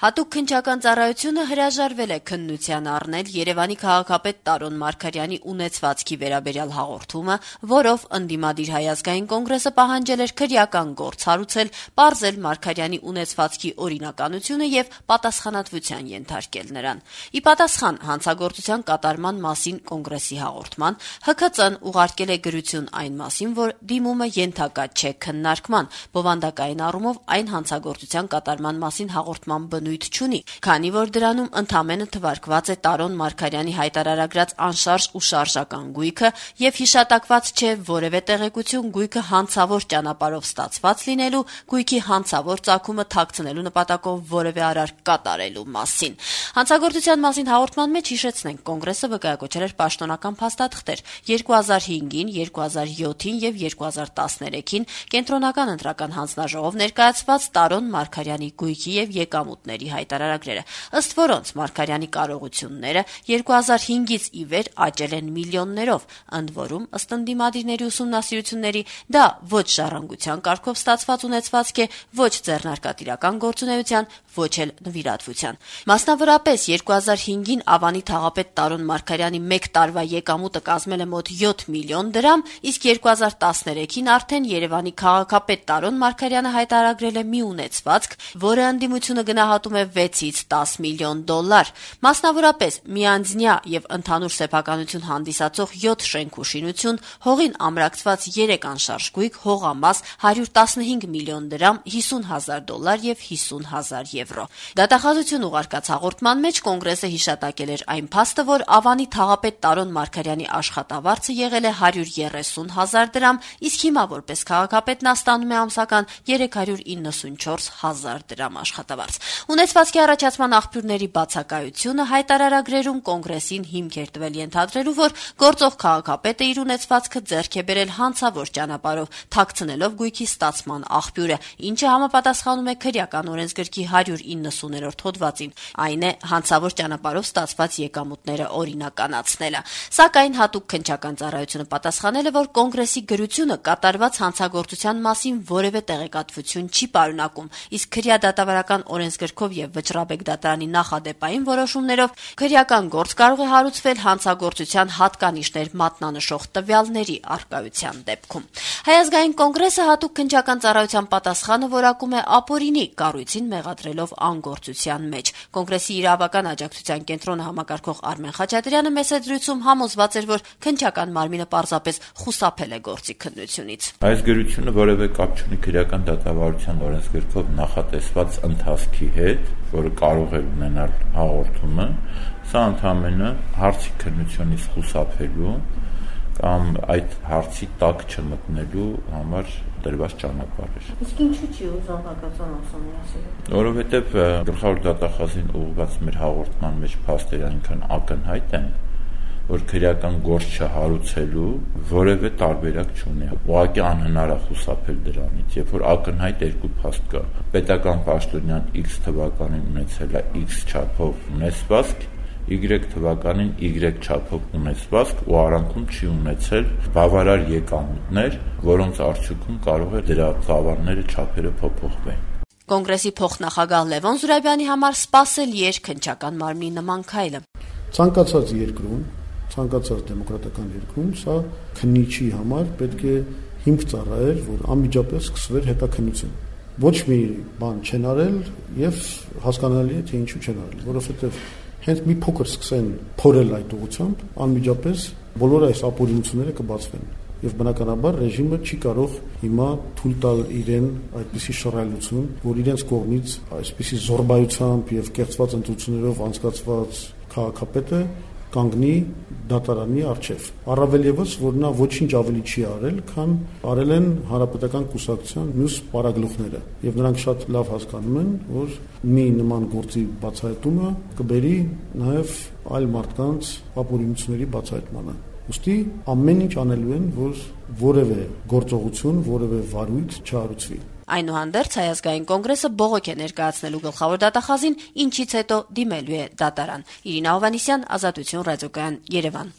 Հատուկ քննչական ծառայությունը հրաժարվել է քննության առնել Երևանի քաղաքապետ Տարոն Մարգարյանի ունեցվածքի վերաբերյալ հաղորդումը, որով ընդդիմադիր Հայ ազգային կոնգրեսը պահանջել էր քրեական գործ հարուցել, պարզել Մարգարյանի ունեցվածքի օրինականությունը եւ պատասխանատվության ենթարկել նրան։ Ի պատասխան հանցագործության կատարման մասին կոնգրեսի հաղորդման, ՀՔԾ-ն ուղարկել է գրություն այն մասին, որ դիմումը ենթակա չէ քննարկման, բովանդակային առումով այն հանցագործության կատարման մասին հաղորդման բնույթ չունի, քանի որ դրանում ընդամենը թվարկված է Տարոն Մարգարյանի հայտարարագրած անշարժ ու շարժական գույքը եւ հիշատակված չէ որևէ տեղեկություն գույքը հանցավոր ճանապարհով ստացված լինելու, գույքի հանցավոր ծագումը թաքցնելու նպատակով որևէ արարք կատարելու մասին։ Հանցագործության մասին հաղորդման մեջ հիշեցնենք, կոնգրեսը վկայակոչել էր պաշտոնական փաստաթղթեր 2005-ին, 2007-ին եւ 2013-ին կենտրոնական ընտրական հանձնաժողով ներկայացված Տարոն Մարգարյանի գույքի եւ եկամուտների հայտարարագրերը, ըստ որոնց Մարգարյանի կարողությունները 2005-ից ի վեր աճել են միլիոններով, ընդ որում ըստ ընդդիմադիրների ուսումնասիրությունների դա ոչ ժառանգության կարգով ստացված ունեցվածք է, ոչ ձեռնարկատիրական գործունեության, ոչ էլ նվիրատվության։ Մասնավորապես 2005-ին Ավանի թաղապետ Տարոն Մարգարյանի 1 տարվա եկամուտը կազմել է մոտ 7 միլիոն դրամ, իսկ 2013-ին արդեն Երևանի քաղաքապետ Տարոն Մարգարյանը հայտարարել է մի ունեցվածք, որը ընդդիմությունը գնահատում է 6-ից 10 միլիոն դոլար։ Մասնավորապես միանձնյա եւ ընդհանուր սեփականություն հանդիսացող 7 շենք ու շինություն, հողին ամրացված 3 անշարժ գույք, հողամաս 115 միլիոն դրամ, 50,000 դոլար եւ 50,000 եվրո։ Դատախազություն ուղարկած հաղորդման մեջ կոնգրեսը հիշատակել էր այն փաստը, որ Ավանի թաղապետ Տարոն Մարգարյանի աշխատավարձը եղել է 130,000 դրամ, իսկ հիմա որպես քաղաքապետ նա ստանում է ամսական 394,000 դրամ աշխատավարձ։ Ունեցվածքի առաջացման աղբյուրների բացակայությունը հայտարարագրերում կոնգրեսին հիմք էր տվել ենթադրելու, որ գործող քաղաքապետը իր ունեցվածքը ձեռք է բերել հանցավոր ճանապարհով, թաքցնելով գույքի ստացման աղբյուրը, ինչը համապատասխանում է քրեական օրենսգրքի 190-րդ հոդվածին, այն է հանցավոր ճանապարհով ստացված եկամուտները օրինականացնելը։ Սակայն հատուկ քննչական ծառայությունը պատասխանել է, որ կոնգրեսի գրությունը կատարված հանցագործության մասին որևէ տեղեկատվություն չի պարունակում, իսկ քրեադատավարական օրենսգրքով եւ Վճռաբեկ դատարանի նախադեպային որոշումներով քրեական գործ կարող է հարուցվել հանցագործության հատկանիշներ մատնանշող տվյալների առկայության դեպքում։ Հայ ազգային կոնգրեսը հատուկ քննչական ծառայության պատասխանը որակում է ապօրինի, կառույցին մեղադրելով անգործության մեջ։ Կոնգրեսի իրավական աջակցության կենտրոնը համակարգող Արմեն Խաչատրյանը մեսեջրույցում համոզված էր, որ քննչական մարմինը պարզապես խուսափել է գործի քննությունից։ Այս գրությունը որևէ կապ չունի քրեական դատավարության օրենսգրքով նախատեսված ընթացքի հետ, որը կարող է ունենալ հաղորդումը, սա ընդհանրապես հարցի քննությունից խուսափելու կամ այդ հարցի տակ չմտնելու համար դրված ճանապարհ է։ Իսկ ինչու՞ չի ուզում հակացան ուսումնասիրել։ Որովհետև գլխավոր դատախազին ուղղված մեր հաղորդման մեջ փաստերը այնքան ակնհայտ են, որ քրեական գործ չհարուցելու որևէ տարբերակ չունի։ Ուղղակի անհնար է խուսափել դրանից, երբ որ ակնհայտ երկու փաստ կա։ Պետական պաշտոնյան X թվականին ունեցել է X չափով ունեցվածք, Y թվականին Y չափով ունեցվածք ու արանքում չի ունեցել բավարար եկամուտներ, որոնց արդյունքում կարող է դրա ծավալները չափերը փոփոխվեն։ Կոնգրեսի փոխնախագահ Լևոն Զուրաբյանի համար սպասելի էր քննչական մարմնի նման քայլը։ Ցանկացած երկրում, ցանկացած դեմոկրատական երկրում սա քննիչի համար պետք է հիմք ծառայեր, որ անմիջապես սկսվեր հետաքննություն։ Ոչ մի բան չեն արել եւ հասկանալի է թե ինչու չեն արել, որովհետեւ հենց մի փոքր սկսեն փորել այդ ուղղությամբ, անմիջապես բոլոր այս ապօրինությունները կբացվեն։ Եվ բնականաբար ռեժիմը չի կարող հիմա թույլ տալ իրեն այդպիսի շռայլություն, որ իրենց կողմից այսպիսի զորբայությամբ եւ կեղծված ընտրություններով անցկացված քաղաքապետը կանգնի դատարանի առջև։ Առավել եւս, որ նա ոչինչ ավելի չի արել, քան արել են հանրապետական կուսակցության մյուս պարագլուխները, եւ նրանք շատ լավ հասկանում են, որ մի նման գործի բացահայտումը կբերի նաեւ այլ մարդկանց ապօրինությունների բացահայտմանը։ Ուստի ամեն ինչ անելու են, որ որևէ գործողություն, որևէ վարույթ չհարուցվի։ Այնուհանդերձ Հայ ազգային կոնգրեսը բողոք է ներկայացնելու գլխավոր դատախազին, ինչից հետո դիմելու է դատարան։ Իրինա Հովհաննիսյան, Ազատություն ռադիոկայան, Երևան։